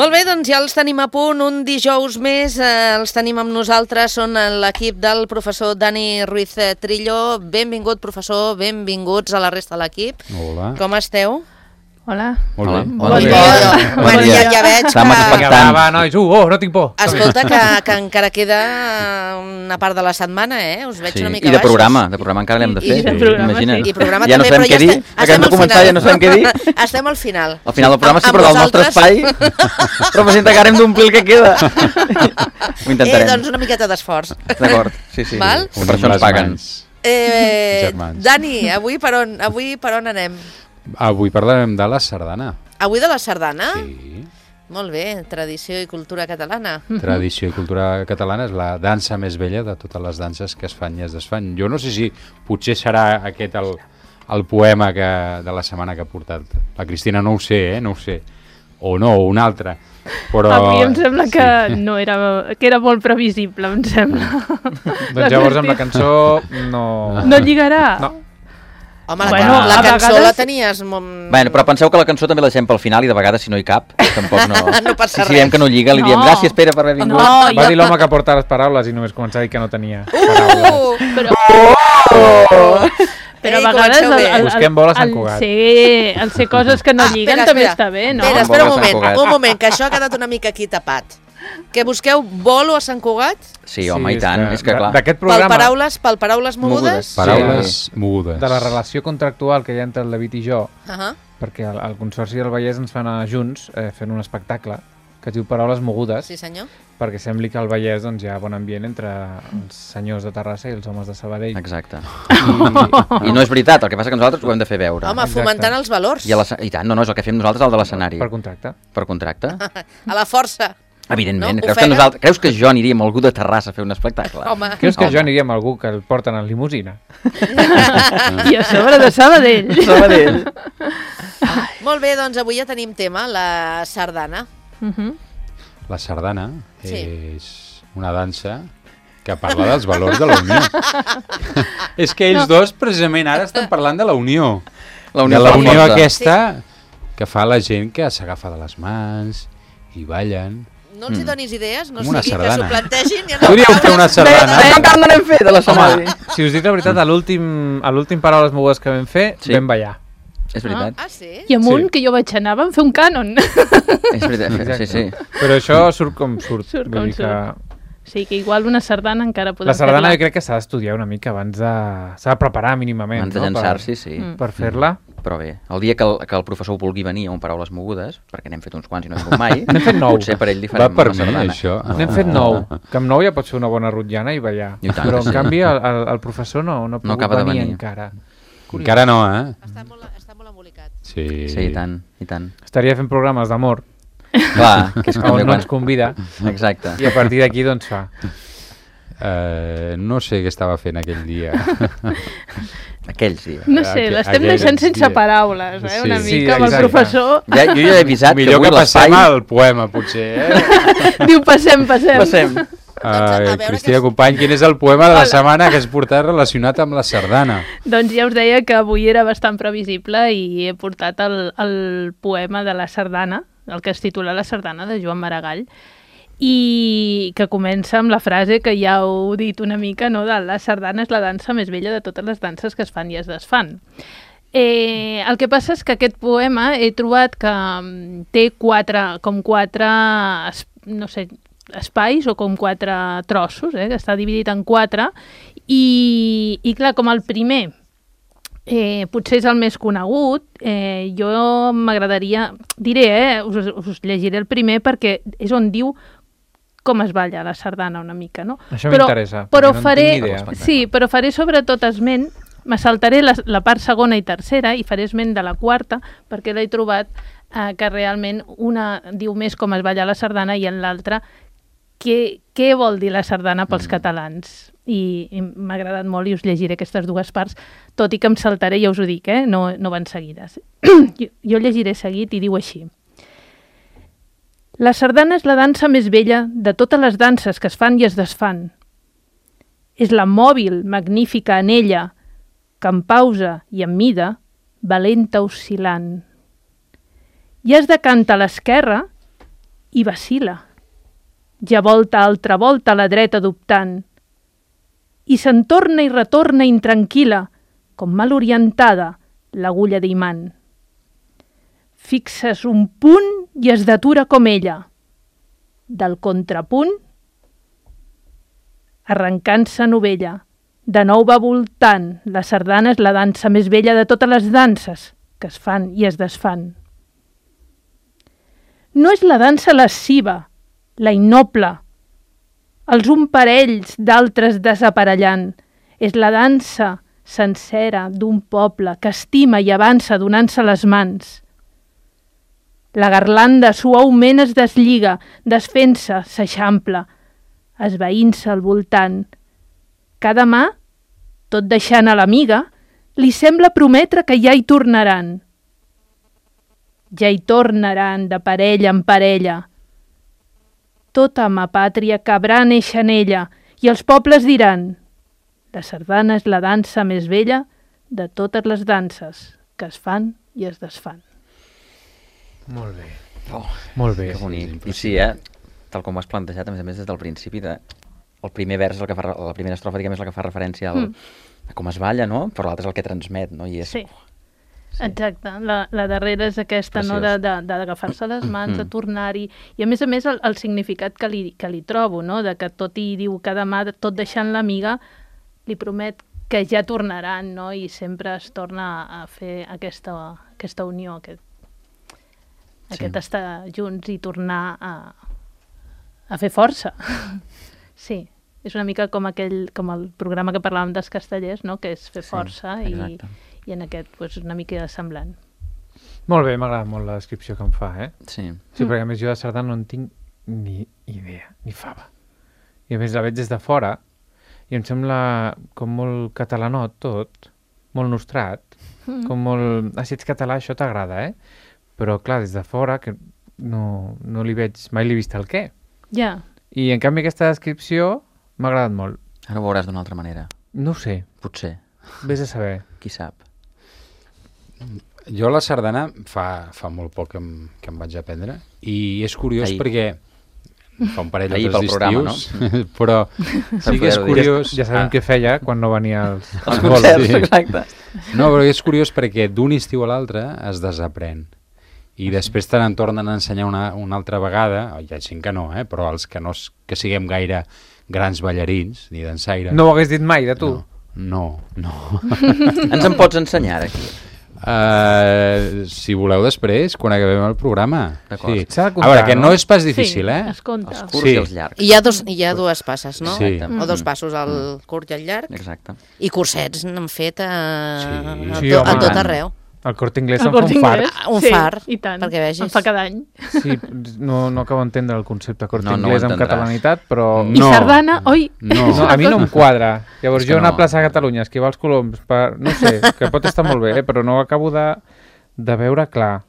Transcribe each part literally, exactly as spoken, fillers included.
Molt bé, doncs ja els tenim a punt, un dijous més, eh, els tenim amb nosaltres, són l'equip del professor Dani Ruiz Trillo. Benvingut, professor, benvinguts a la resta de l'equip. Hola. Com esteu? Hola. Molt bé. Bon dia. Bueno, ja, ja veig que... Va, va, nois, uh, oh, no tinc por. Escolta, que, que encara queda una part de la setmana, eh? Us veig Sí, una mica i de baixos. programa, de programa encara l'hem de I- fer, i de programa, imagina't. sí. I programa ja també, no sabem però què ja dir, estem- acabem estem de al començar, final. ja no sabem què dir. Estem al final. Al final del programa sí, Amb- però amb del nostre vosaltres. espai representa que ara hem d'omplir el que queda. Ho Eh, intentarem. doncs una miqueta d'esforç. D'acord, sí, sí. Val? Per això ens paguen. Eh, Germans. Dani, avui per on, avui per on anem? Avui parlarem de la sardana. Avui de la sardana? Sí. Molt bé, tradició i cultura catalana. Tradició i cultura catalana és la dansa més vella de totes les danses que es fan i es desfan. Jo no sé si potser serà aquest el, el poema que, de la setmana que ha portat la Cristina, no ho sé, eh? No ho sé. O no, o un altre. Però... A mi em sembla que sí. no era, que era molt previsible, em sembla. Doncs llavors amb la cançó no... No lligarà? No. Home, la, Bueno, la a cançó vegades- la tenies... Molt... Bueno, però penseu que la cançó també la deixem pel final i de vegades si no hi cap, tampoc no... No passa si, si diem res. que no lliga, li diem No. gràcies Pere per haver vingut. No, Va jo- dir l'home que porta les paraules i només començar a dir que no tenia paraules. Uh! Però, però Ei, a vegades comenceu bé. Busquem bola a Sant el, Cugat. ser, el ser coses que no lliguen espera, també espera. està bé, no? Espera, espera un Bolo a Sant moment, Cugat. un moment, que això ha quedat una mica aquí tapat. Que busqueu bolo a Sant Cugat? Sí, home, Sí, i tant, és que clar. D'aquest Pel programa, paraules, pel paraules mogudes? Mogudes. Paraules Sí. mogudes. de la relació contractual que hi ha entre el David i jo, Uh -huh. perquè el, el Consorci del Vallès ens fa anar junts eh, fent un espectacle que es diu Paraules Mogudes, Sí, senyor. perquè sembli que al Vallès doncs, hi ha bon ambient entre els senyors de Terrassa i els homes de Sabadell. Exacte. I, I no és veritat, el que passa que nosaltres ho hem de fer veure. Home, Exacte. fomentant els valors. I, a la, I tant, no, no, és el que fem nosaltres al de l'escenari. per contracte. Per contracte. A la força. Evidentment. No? Creus, que Ofega? nosaltres, creus que jo aniria amb algú de Terrassa a fer un espectacle? Home. Creus que Home. jo aniria amb algú que el porten en limusina? I a sobre de Sabadell. Sabadell. Molt bé, doncs avui ja tenim tema, la sardana. Uh -huh. La sardana Sí. és una dansa que parla dels valors de la unió. És que ells dos precisament ara estan parlant de la unió. La de unió la fa unió força. aquesta que fa la gent que s'agafa de les mans i ballen. No els hi donis idees, no Com una sigui que sardana. s'ho plantegin. I Podríeu fer una sardana. Això encara no n'hem fet, de l'escenari. Si us dic la veritat, a l'últim a l'últim Paraules Mogudes que vam fer, Sí. vam ballar. És veritat. Ah, sí? I amunt, Sí. que jo vaig anar, vam fer un cànon. És veritat, sí, sí. Però això surt com surt. Surt Vull com dir que Sí, que igual una sardana encara podem la sardana fer-la. jo crec que s'ha d'estudiar una mica abans de... s'ha de preparar mínimament. Abans de no? llançar-s'hi, sí. Mm. Per, per fer-la. Però bé, el dia que el, que el professor vulgui venir a un Paraules Mogudes, perquè n'hem fet uns quants i no hem vingut mai, N'hem fet nou. potser per ell li Va farem per una mi, sardana. això. N'hem fet nou, que amb nou ja pots fer una bona rotllana i ballar. I tant Però que en sí. canvi el, el, el professor no, no ha pogut acaba de venir, venir. encara. Encara no, eh? Està molt, està molt embolicat. Sí. Sí, i tant, i tant. Estaria fent programes d'amor, Clar, que és on també no quan... ens convida, Exacte. i a partir d'aquí doncs fa. Uh, no sé què estava fent aquell dia. Aquells dies. No sé, Aqu- l'estem aquells deixant sense dies. paraules, eh? Sí. Una Sí, mica amb el exacte. professor. Ja, jo ja he avisat Millor que que avui l'espai... passem al poema, potser, eh? Diu, passem, passem. Passem. Uh, a veure Cristina que- Company, quin és el poema de la setmana que has portat relacionat amb la sardana? Doncs ja us deia que avui era bastant previsible i he portat el, el poema de la sardana, el que es titula La sardana, de Joan Maragall, i que comença amb la frase que ja heu dit una mica, no? De la sardana és la dansa més vella de totes les danses que es fan i es desfan. Eh, el que passa és que aquest poema he trobat que mm, té quatre, com quatre, es- no sé, espais o com quatre trossos, eh, que està dividit en quatre, i, i clar, com el primer eh, potser és el més conegut, eh, jo m'agradaria, diré, eh, us, us llegiré el primer perquè és on diu com es balla la sardana una mica, no? Això Però- m'interessa, Però perquè no en faré, tinc ni idea. sí, però faré sobretot esment, me saltaré la, la part segona i tercera i faré esment de la quarta perquè l'he trobat eh, que realment una diu més com es balla la sardana i en l'altra què, què vol dir la sardana pels mm. catalans. I, i m'ha agradat molt i us llegiré aquestes dues parts, tot i que em saltaré, ja us ho dic, eh? no, no van seguides. jo, jo llegiré seguit i diu així. La sardana és la dansa més vella de totes les danses que es fan i es desfan. És la mòbil, magnífica anella, que en pausa i en mida, valenta oscil·lant. I has de cantar a l'esquerra i vacila. Ja volta altra volta a la dreta dubtant. I se'n torna i retorna intranquil·la, com mal orientada, l'agulla d'imant. Fixes un punt i es detura com ella. Del contrapunt, arrencant-se novella. De nou va voltant, la sardana és la dansa més vella de totes les danses que es fan i es desfan. No és la dansa lasciva, la innoble, els un parells d'altres desaparellant. És la dansa sencera d'un poble que estima i avança donant-se les mans. La garlanda suaument es deslliga, desfent-se, s'eixampla, esvaint-se al voltant. Cada mà, tot deixant a l'amiga, li sembla prometre que ja hi tornaran. Ja hi tornaran de parella en parella. Tota ma pàtria cabrà néixer en ella i els pobles diran: la sardana és la dansa més vella de totes les danses que es fan i es desfan. Molt bé. Oh, Molt bé. que bonic. I sí, eh? Tal com ho has plantejat, a més a més, des del principi, de... el primer vers, és el que fa, la primera estrofa, diguem, és la que fa referència al, mm. a com es balla, no? Però l'altre és el que transmet, no? I és... Sí. Sí. Exacte, la, la darrera és aquesta, Preciós. no, de, de, d'agafar-se les mans, de tornar-hi, i a més a més el, el significat que li, que li trobo, no? De que tot i diu cada mà, tot deixant l'amiga, li promet que ja tornaran, no? I sempre es torna a fer aquesta, aquesta unió, aquest, Sí. aquest estar junts i tornar a, a fer força. Sí, és una mica com aquell, com el programa que parlàvem dels castellers, no? Que és fer Sí, força i, exacte. i en aquest pues, una mica semblant. Molt bé, m'agrada molt la descripció que em fa, eh? Sí. Sí, perquè a més jo de sardana no en tinc ni idea, ni fava. I a més la veig des de fora i em sembla com molt catalanot tot, molt nostrat, mm. com molt... Ah, si ets català això t'agrada, eh? Però clar, des de fora que no, no li veig, mai l'he vist el què. Ja. I en canvi aquesta descripció m'ha agradat molt. Ara ho veuràs d'una altra manera. No ho sé, Potser. vés a saber. Qui sap. Jo la sardana fa, fa molt poc que em, que em vaig aprendre i és curiós Ahir. perquè fa un parell Ahir o tres pel programa, d'estius, però sí que és poder-ho dir. curiós... Ja sabem Ah, què feia quan no venia als, Els als bolos. concerts, sí. exacte. No, però és curiós perquè d'un estiu a l'altre es desaprèn. I després te n'en tornen a ensenyar una, una altra vegada, hi ha gent que no, eh? Però els que no s- que siguem gaire grans ballarins, ni dansaires... No ho hagués dit mai, de tu? No, no. no. Ens en pots ensenyar, ara, aquí? Uh, si voleu després, quan acabem el programa. D'acord. Sí. S'ha de A comptar, veure, que no no? és pas difícil, sí, eh? es compta. Els curts Sí. i els llargs. I hi ha, dos, hi ha dues passes, no? Sí. O dos passos, el curt i el llarg. Exacte. I cursets n'han fet a, Sí. a, Sí, to, a home. tot arreu. El Corte Inglés El em fa Corte un fart. Inglés, Un sí, fart, i tant, perquè vegis. en fa cada any. Sí, no, no acabo d'entendre el concepte Corte No, no ho Inglés amb entendràs. catalanitat, però... I No. sardana, oi? No. No, a mi no em quadra. Llavors És que jo anar no. a plaça Catalunya, esquivar els coloms, per... no sé, que pot estar molt bé, eh? Però no ho acabo de, de veure clar.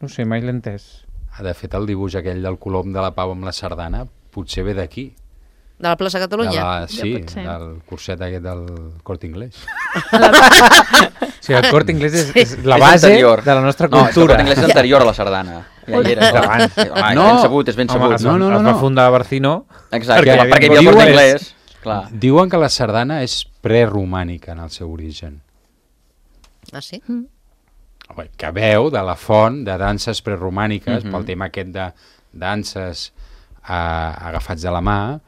No sé, mai l'he entès. De fet, el dibuix aquell del colom de la Pau amb la sardana potser ve d'aquí. De la plaça De Catalunya? la, sí, pot ser. del curset aquest del Corte Inglés. O sigui, el Corte Inglés és, és la És base anterior. de la nostra No, és que el cultura. Corte Inglés és anterior a la sardana. Ja hi era. Davant. Sí, home, és No. ben sabut, és ben Home, sabut. es, No, no, no, es va no. fundar a Barcino. Exacte, perquè hi perquè, havia hi havia el Corte diuen- Inglés. Clar. Diuen que la sardana és preromànica en el seu origen. Ah, sí? Home, que veu de la font de danses preromàniques, Mhm. pel tema aquest de danses eh, agafats de la mà,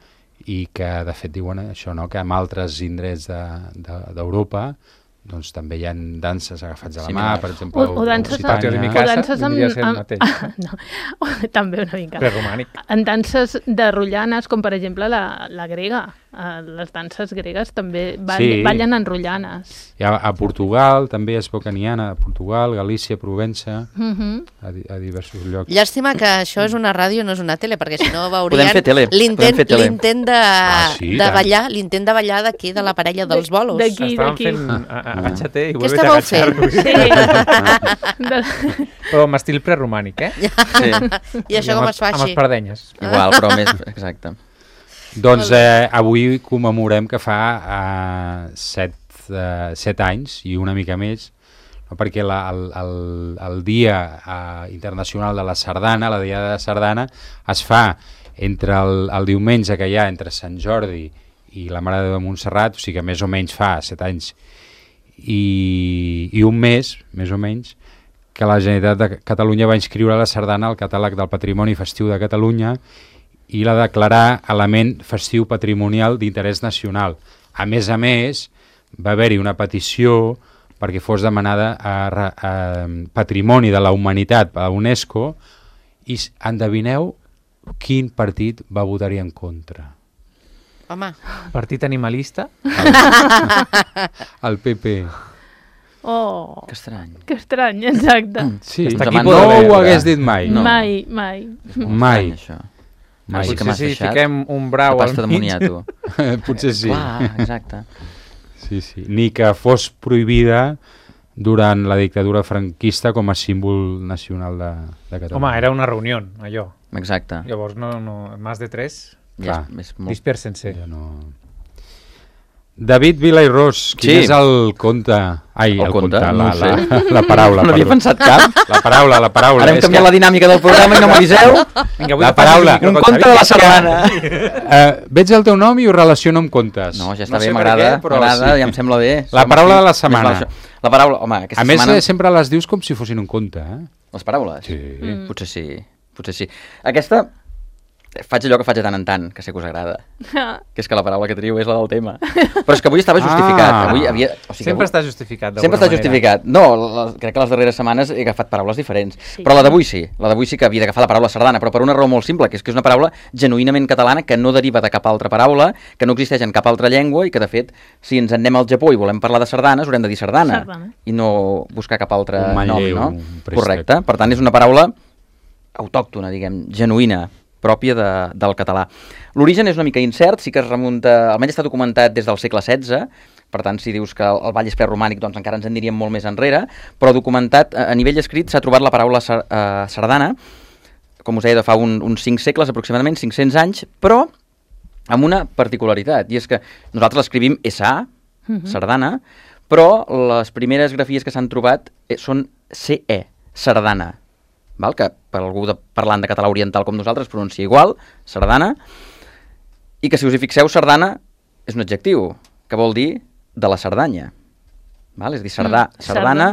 i que de fet diuen això, no? Que en altres indrets d'Europa de, d'Europa doncs també hi ha danses agafats de la mà, Similars. per exemple, O, o danses, Occitània. Patio de mi o casa danses amb... vindria a ser el amb mateix. no, o, també una mica. Preromànic. En danses de rotllanes, com per exemple la, la grega. Uh, les danses gregues també ball, Sí. ballen en rotllanes. Hi ha, a Portugal també es veu que n'hi ha, a Portugal, Galícia, Provença, Uh -huh. a, di- a diversos llocs. Llàstima que això és una ràdio, no és una tele, perquè si no veurien Podem fer tele, podem l'intent fer tele. l'intent de, Ah, sí, de tant. ballar, l'intent de ballar d'aquí, de la parella dels bolos. D'aquí, Estàvem d'aquí. fent a- a- agacha-te i Què vuelve a estàveu fent? agachar. Sí. De... Però amb estil preromànic, eh? Sí, I això amb com els- es fa Amb així? espardenyes. igual, però més... Exacte. Doncs eh, avui commemorem que fa eh, set, eh, set anys i una mica més no? Perquè la, el, el, el Dia eh, Internacional de la Sardana, la Diada de Sardana, es fa entre el, el diumenge que hi ha entre Sant Jordi i la Mare de Déu de Montserrat, o sigui que més o menys fa set anys i, i un mes, més o menys, que la Generalitat de Catalunya va inscriure la sardana al catàleg del Patrimoni Festiu de Catalunya i la declarar element festiu patrimonial d'interès nacional. A més a més, va haver-hi una petició perquè fos demanada a, a, a Patrimoni de la Humanitat a la UNESCO i endevineu quin partit va votar-hi en contra. Home. Partit animalista? El P P. Oh, Que estrany. que estrany, exacte. Sí, Està no aquí ho poder veure. hagués dit mai. No. Mai, mai. És molt Mai. estrany, això. Mai. Ara sí que Potser m'has si deixat fiquem un brau de al pasta de mig. moniato. Potser sí. Clar, exacte. Sí, sí. Ni que fos prohibida durant la dictadura franquista com a símbol nacional de, de Catalunya. Home, era una reunió, allò. Exacte. Llavors, no, no, més de tres, Ja Clar. és, és molt... dispersen-se. Ja no... David Vila i Ros, quin Sí. és el conte? Ai, el, El conte? conte, No la, ho sé. la, la paraula. No havia perdó. pensat cap. La paraula, la paraula. Ara hem És canviat que, la dinàmica del programa i no m'aviseu. Vinga, La paraula. Un conte de la sardana. eh, veig el teu nom i ho relaciono amb contes. No, ja està sé bé, per m'agrada, què, però m'agrada, sí. ja em sembla bé. La Som paraula aquí. de la Més setmana. val això. La paraula, home, aquesta A més, setmana... eh, sempre les dius com si fossin un conte, eh? Les paraules? Sí. Mm. Potser sí, potser sí. Aquesta, faig allò que faig de tant en tant, que sé que us agrada, que és que la paraula que teniu és la del tema. Però és que avui estava justificat. Ah. Avui havia... o sigui, Sempre avui... està justificat, d'alguna Sempre està manera. justificat. No, la, crec que les darreres setmanes he agafat paraules diferents. Sí. Però la d'avui sí. La d'avui sí que havia d'agafar la paraula sardana, però per una raó molt simple, que és que és una paraula genuïnament catalana que no deriva de cap altra paraula, que no existeix en cap altra llengua i que, de fet, si ens en anem al Japó i volem parlar de sardanes, haurem de dir sardana. Sardana. I no buscar cap altre Un manlleu, nom, no? un préstec. Correcte. Per tant, és una paraula autòctona, diguem, genuïna, pròpia de, del català. L'origen és una mica incert, sí que es remunta, almenys està documentat des del segle setze, per tant, si dius que el, el Vall és preromànic, doncs encara ens en diríem molt més enrere, però documentat, a, a nivell escrit, s'ha trobat la paraula sar, uh, sardana, com us deia, de fa un, uns cinc segles, aproximadament, cinc-cents anys, però amb una particularitat, i és que nosaltres l'escrivim S A, Mhm. sardana, però les primeres grafies que s'han trobat eh, són C E, sardana, val? Que per algú de, parlant de català oriental com nosaltres pronuncia igual, sardana, i que si us hi fixeu, sardana és un adjectiu, que vol dir de la Cerdanya. Val? És a dir, sardà, Mm, sardana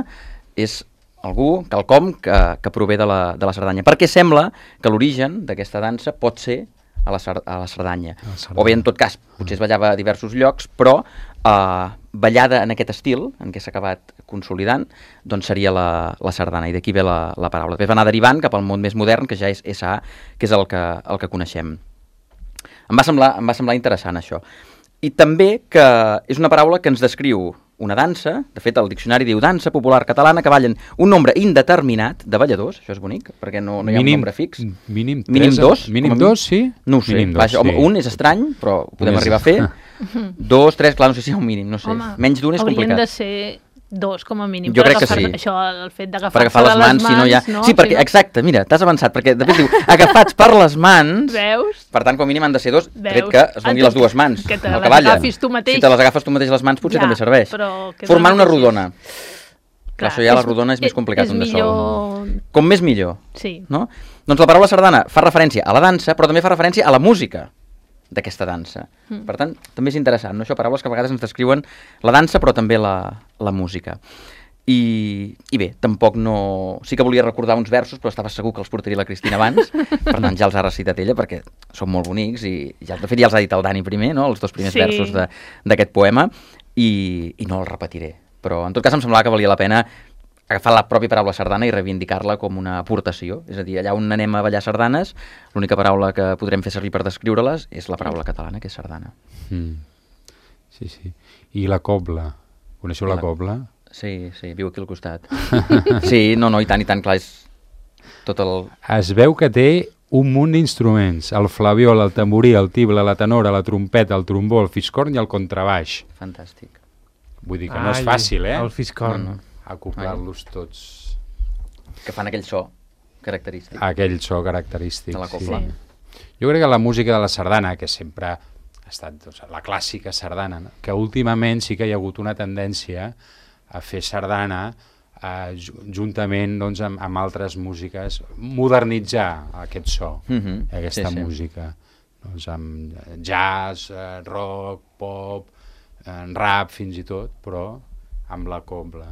és algú, quelcom que, que prové de la, de la Cerdanya. Perquè sembla que l'origen d'aquesta dansa pot ser a la, a la Cerdanya. A la Cerdanya. O bé, en tot cas, potser es ballava a diversos llocs, però eh, ballada en aquest estil, en què s'ha acabat consolidant, doncs seria la, la sardana, i d'aquí ve la, la paraula. Després va anar derivant cap al món més modern, que ja és S A, que és el que, el que coneixem. Em va semblar, em va semblar interessant, això. I també que és una paraula que ens descriu una dansa, de fet el diccionari diu dansa popular catalana que ballen un nombre indeterminat de balladors, això és bonic, perquè no, no hi ha un nombre fix. Mínim, Mínim tres, dos? Mínim Com a dos, sí? No ho sé, Mínim dos, vaja, home, sí. un és estrany, però ho podem Un és- arribar a fer. Dos, tres, clar, no sé si hi ha un mínim, no sé. Home, Menys d'un és haurien complicat. de ser dos, com a mínim. Jo per crec que agafar- sí. Això, el fet Per d'agafar-se agafar les de mans, si no hi ha... no? Sí, perquè, Si no- exacte, mira, t'has avançat, perquè de fet diu, agafats per les mans, Veus? per tant, com a mínim han de ser dos, Veus? tret que es doni Ah, les dues mans. que te el les ballen. agafis tu mateix. Si te les agafes tu mateix les mans, potser Ja, també serveix. però que Formant no una mateixis. rodona. Clar, això ja la rodona és més complicat és un de sol. millor... Com més millor, Sí. no? Doncs la paraula sardana fa referència a la dansa, però també fa referència a la música d'aquesta dansa. Mm. Per tant, també és interessant, no? Això, paraules que a vegades ens descriuen la dansa, però també la, la música. I, I bé, tampoc no... Sí que volia recordar uns versos, però estava segur que els portaria la Cristina abans, per tant ja els ha recitat ella, perquè són molt bonics, i ja, de fet ja els ha dit el Dani primer, no? Els dos primers Sí. versos de- d'aquest poema, i, i no els repetiré. Però en tot cas em semblava que valia la pena agafar la pròpia paraula sardana i reivindicar-la com una aportació. És a dir, allà on anem a ballar sardanes, l'única paraula que podrem fer servir per descriure-les és la paraula catalana, que és sardana. Mm. Sí, sí. I la cobla. Coneixeu la La- cobla? Sí, sí, viu aquí al costat. Sí, no, no, i tant, i tant, clar, és tot el... Es veu que té un munt d'instruments. El flabiol, el tamborí, el tible, la tenora, la trompeta, el trombó, el fiscorn i el contrabaix. Fantàstic. Vull dir que no és fàcil, eh? El fiscorn. No, no. Acoplar-los tots Que fan aquell so característic. a aquell so característic. De la cobla. Sí. Jo crec que la música de la sardana, que sempre ha estat doncs, la clàssica sardana, no? Que últimament sí que hi ha hagut una tendència a fer sardana eh, juntament doncs, amb, amb altres músiques, modernitzar aquest so, Mhm. aquesta Sí, sí. música. Doncs amb jazz, eh, rock, pop, eh, rap fins i tot, però amb la cobla.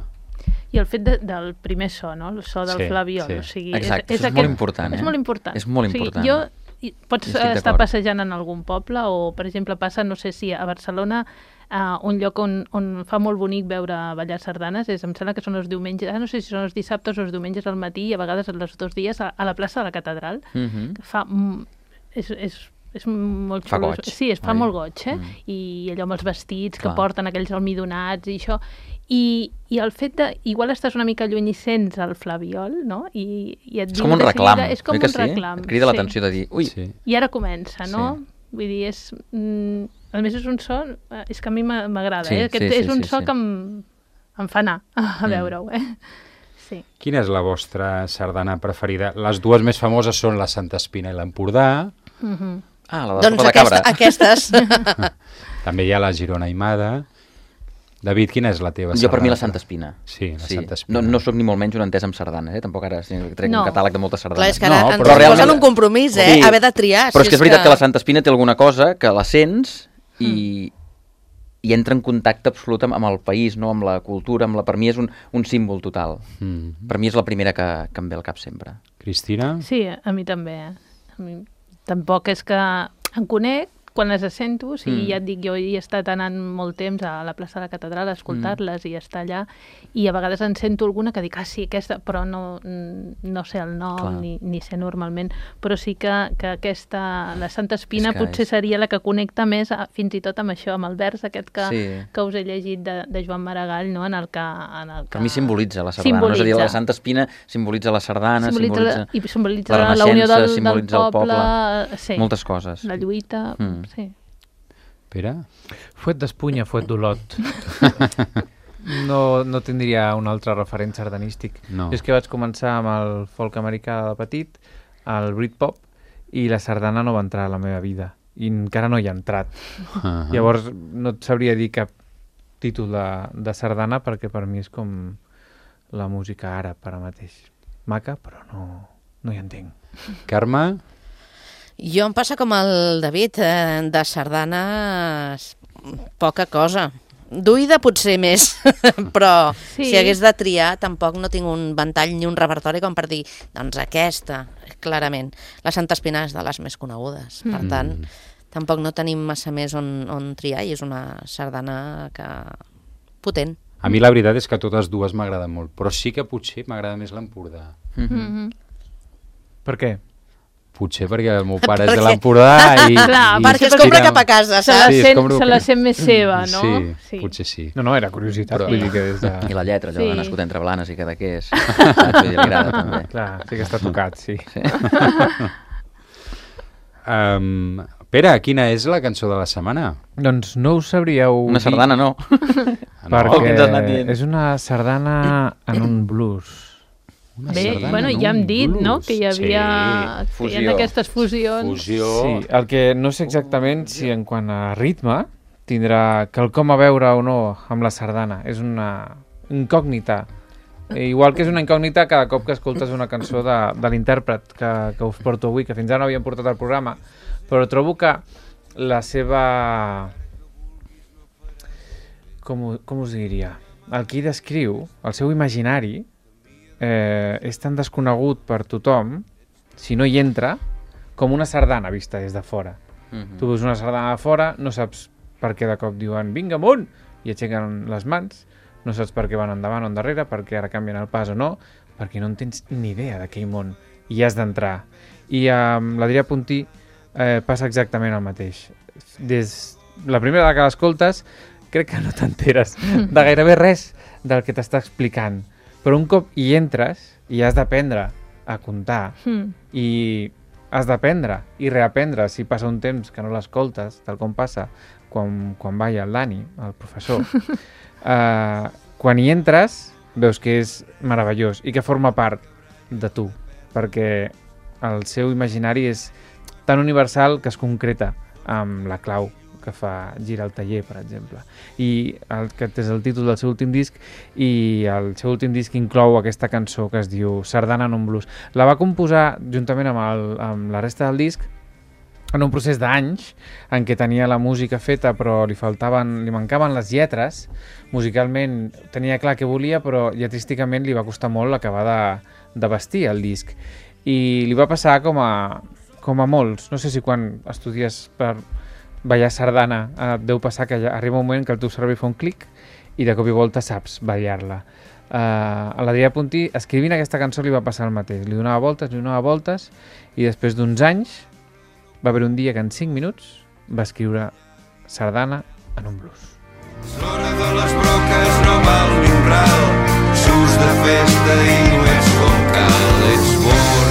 I el fet de, del primer so, no? El so del Sí, flabiol. sí. O sigui, Exacte, és, això és molt important, És eh? molt important. És molt O sigui, important. jo, i- pots Hi estic estar d'acord. passejant en algun poble o, per exemple, passa, no sé si a Barcelona, uh, un lloc on, on fa molt bonic veure ballar sardanes, és, em sembla que són els diumenges, ah, no sé si són els dissabtes o els diumenges al matí i a vegades els dos dies a, a la plaça de la Catedral, Mhm. que fa... mm, És, és, és molt Fa xulo. goig, Sí, es fa oi? molt goig, eh? Mm. I allò amb els vestits que Clar. porten, aquells almidonats i això. I, i el fet de... Igual estàs una mica lluny i sents el flabiol, no? I, i et És diu com un de reclam, seguida- És com oi que un sí? reclam. Et crida sí. l'atenció de dir, ui, Sí. I ara comença, no? Sí. Vull dir, és... Mm, a més, és un so... eh, És que a mi m'a- m'agrada, Sí, eh? Aquest sí, sí, és un sí, so sí. que em, em fa anar a Mm. veure-ho, eh? Sí. Quina és la vostra sardana preferida? Les dues més famoses són la Santa Espina i l'Empordà. Mhm. ah, la de Doncs sopa de aquesta, cabra. aquestes. També hi ha la Girona Aimada. David, quina és la teva Jo per mi la sardana? Santa Espina. Sí, la Santa Espina. No, no sóc ni molt menys un entès amb sardanes, eh? Tampoc ara sí, trec No. un catàleg de moltes sardanes. Clar, és que ara No, ens però posen realment- un compromís, eh? Sí. Haver de triar. Però si és que és veritat que... la Santa Espina té alguna cosa que la sents i, i entra en contacte absolut amb, amb el país, no? Amb la cultura, amb la... per mi és un, un símbol total. Mm. Per mi és la primera que, que em ve al cap sempre. Cristina? Sí, a mi també. eh. A mi... Tampoc és que en conec quan les sento, o sigui, Mm. ja et dic, jo hi he estat anant molt temps a la plaça de la Catedral a escoltar-les i estar allà, i a vegades en sento alguna que dic, ah, sí, aquesta, però no, no sé el nom, Clar. ni, ni sé normalment, però sí que, que aquesta, la Santa Espina És que potser és- seria la que connecta més a, fins i tot amb això, amb el vers aquest que, Sí. que us he llegit de, de Joan Maragall, no? en el que... En el que Per mi simbolitza la sardana. No? És a dir, la Santa Espina simbolitza la sardana, simbolitza, simbolitza, la, i simbolitza la la, la unió renaixença, del, simbolitza del el poble, poble, sí, moltes coses. la lluita, Mm. sí. Pere? Fuet d'Espunya, fuet d'Olot. No, no tindria un altre referent sardanístic. No. Jo és que vaig començar amb el folk americà de petit, el Britpop, i la sardana no va entrar a la meva vida. I encara no hi ha entrat. Uh -huh. Llavors no et sabria dir cap títol de, de sardana perquè per mi és com la música àrab ara mateix. Maca, però no, no hi entenc. Carme? Jo em passa com el David, eh, de sardanes poca cosa. D'oïda potser més, però Sí. si hagués de triar tampoc no tinc un ventall ni un repertori com per dir, doncs aquesta, clarament. La Santa Espina és de les més conegudes, per Mm. tant, tampoc no tenim massa més on, on triar i és una sardana que... potent. A mi la veritat és que totes dues m'agraden molt, però sí que potser m'agrada més l'Empordà. Mhm. Mm-hmm. Per què? Potser perquè el meu pare és de Perquè- l'Empordà i... Clar, i perquè es sí, compra tira- cap a casa, Se la, saps? Sí, és sent, com- se la sent més seva, no? Sí, potser sí. No, no, era curiositat. Però- Vull dir que des de... I la lletra, allò Sí. de nascut entre Blanes i Cadaqués. Saps? Vull dir, li agrada també. Clar, sí que està tocat, sí. Um, Pere, quina és la cançó de la setmana? Doncs no us sabríeu Una dir, sardana no. Ah, no? Oh, què ens has anat dient? perquè és una sardana en un blues. Una Bé, sardana bueno, en ja hem un dit, no?, blues. que hi havia, Sí. que hi ha Fusió. aquestes fusions. Fusió. Sí, el que no sé exactament si en quant a ritme tindrà quelcom a veure o no amb la sardana. És una incògnita. Eh, Igual que és una incògnita cada cop que escoltes una cançó de, de l'intèrpret que, que us porto avui, que fins ara no havíem portat al programa, però trobo que la seva... Com, ho- com us diria? El que hi descriu, el seu imaginari, eh, és tan desconegut per tothom, si no hi entra, com una sardana vista des de fora. Mhm. Tu veus una sardana de fora, no saps per què de cop diuen vinga amunt, i aixequen les mans, no saps per què van endavant o endarrere, perquè ara canvien el pas o no, perquè no en tens ni idea d'aquell món, i has d'entrar. I amb l'Adrià Puntí eh, passa exactament el mateix. Des la primera vegada que l'escoltes, crec que no t'enteres de gairebé res del que t'està explicant, però un cop hi entres i has d'aprendre a comptar Mm. i has d'aprendre i reaprendre si passa un temps que no l'escoltes, tal com passa quan, quan balla el Dani, el professor. uh, quan hi entres, veus que és meravellós i que forma part de tu, perquè el seu imaginari és tan universal que es concreta amb la clau que fa gira el taller, per exemple. I el, aquest és el títol del seu últim disc, i el seu últim disc inclou aquesta cançó que es diu Sardana en un blues. La va composar juntament amb, el, amb la resta del disc en un procés d'anys en què tenia la música feta però li faltaven, li mancaven les lletres. Musicalment tenia clar què volia, però lletrísticament li va costar molt acabar de, de vestir el disc. I li va passar com a, com a molts. No sé si quan estudies per ballar sardana et deu passar que arriba un moment que el teu cervell fa un clic i de cop i volta saps ballar-la. Uh, a l'Adrià Puntí, escrivint aquesta cançó li va passar el mateix. Li donava voltes, li donava voltes, i després d'uns anys va haver un dia que en cinc minuts va escriure Sardana en un blues. L'hora de les broques no val ni un ral, surts de festa i no ets com cal, ets bord.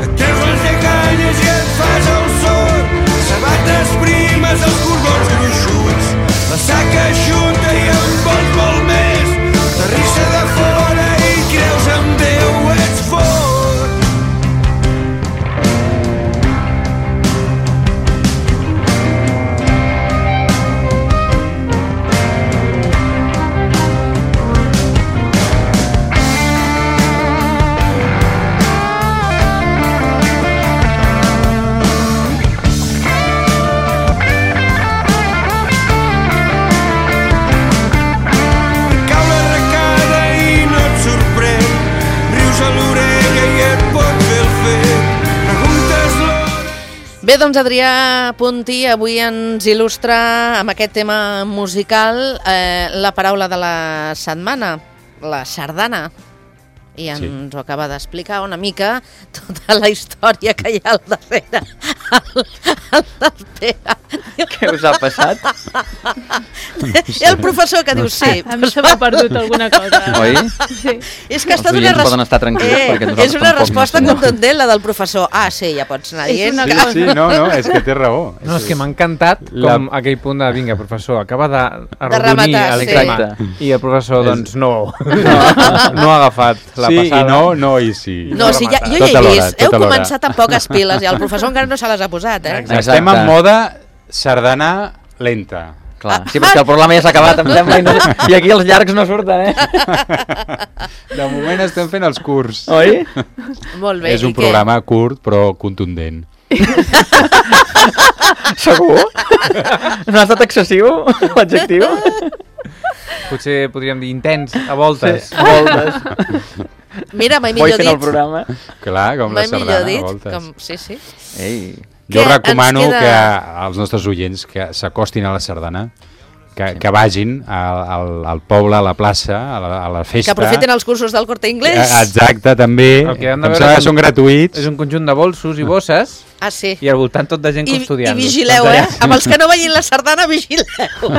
Et treus les lleganyes i et fas el sort, sabates primes, els cordons gruixuts, la saca junta i en vols molt més, terrissa de fora i creus en Déu, ets fort. Bé, doncs Adrià Puntí avui ens il·lustra amb aquest tema musical eh, la paraula de la setmana, la sardana. I ens sí. ho acaba d'explicar una mica tota la història que hi ha al darrere. El, el del Pere. Què us ha passat? I el professor que diu sí. A mi se m'ha perdut alguna cosa. Oi? Sí. És que ha estat Els una, oients poden estar tranquils, eh, perquè nosaltres és una tampoc resposta no som. contundent, la del professor. Ah, sí, ja pots anar És dient. una Sí, cosa. sí, no, no, és que té raó. No, és que m'ha encantat La- com aquell punt de, vinga, professor, acaba de arrodonir rematar, el sí. tema. Exacte. I el professor, És- doncs, no, no, no ha agafat la Sí, passada. i no, no, i sí. No, sí, ja, jo ja Tota he l'hora, vist. Heu tota l'hora. començat amb poques piles i el professor encara no se les ha posat, eh? Exacte. Estem en moda sardana lenta. Clar, sí, però és que el programa ja s'ha acabat, em sembla, i, no, i aquí els llargs no surten, eh? De moment estem fent els curts. Oi? Molt bé. És un i què? programa curt però contundent. Segur? No ha estat excessiu, l'adjectiu? Potser podríem dir intens, a voltes. Sí, moltes. Mira, mai Vull millor fent el dit. programa. Clar, com la Mai millor sardana, a dit. voltes. Com... Sí, sí. Ei, Jo Què recomano ens queda? que als nostres oients que s'acostin a la sardana, que, que vagin al, al, al poble, a la plaça, a la, a la festa. Que aprofiten els cursos del Corte Inglés. Eh, Exacte, també. El que han de Em veure sembla que són- són gratuïts. És un conjunt de bolsos i bosses Ah, sí. i al voltant tot de gent I, i custodiant-los. vigileu, Doncs eh? allà- Amb els que no vegin la sardana, vigileu.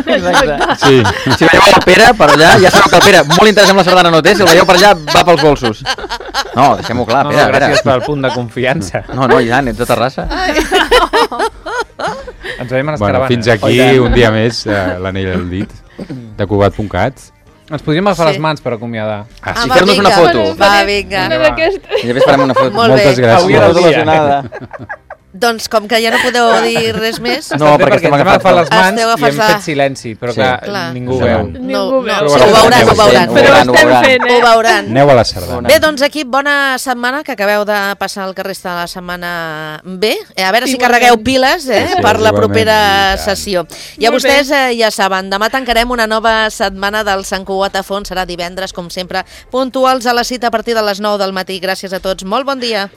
exacte. Sí. Si veieu el Pere per allà, ja sabeu que el Pere molt interès amb la sardana no té, si el veieu per allà va pels bolsos. No, deixem-ho clar, No, Pere, no, a gràcies veure. pel punt de confiança. No, no, Ian, ets de Terrassa. Ens veiem a les Bueno, caravanes. fins aquí Oh, i tant. un dia més eh, l'anell al dit de Cugat punt cat. Ens podríem agafar Sí. les mans per acomiadar. Ah, Ah, sí. va, fer-nos una vinga. foto. Va, vinga. Una Va. d'aquestes. I després farem una foto. Molt bé. Moltes gràcies. Avui era el dia. Il·lusionada. Doncs com que ja no podeu dir res més... No, Està bé, perquè estem ens hem agafats agafat les pel- mans Esteu i hem agafats la- fet silenci, però Sí. que Clar. ningú Clar. veu. No, Ningú no, veu. sí, ho veuran, ho veuran. Ho Però ho veuran, ho estem veuran. fent, Ho eh? veuran. Aneu a la sardana. Bé, doncs equip, bona setmana, que acabeu de passar el que resta de la setmana bé. Eh, a veure si Igualment. carregueu piles eh, Sí, per la igualment, propera i tant. sessió. I a Molt vostès eh, ja saben, demà tancarem una nova setmana del Sant Cugat a fons. Serà divendres, com sempre, puntuals a la cita a partir de les nou del matí. Gràcies a tots. Molt bon dia.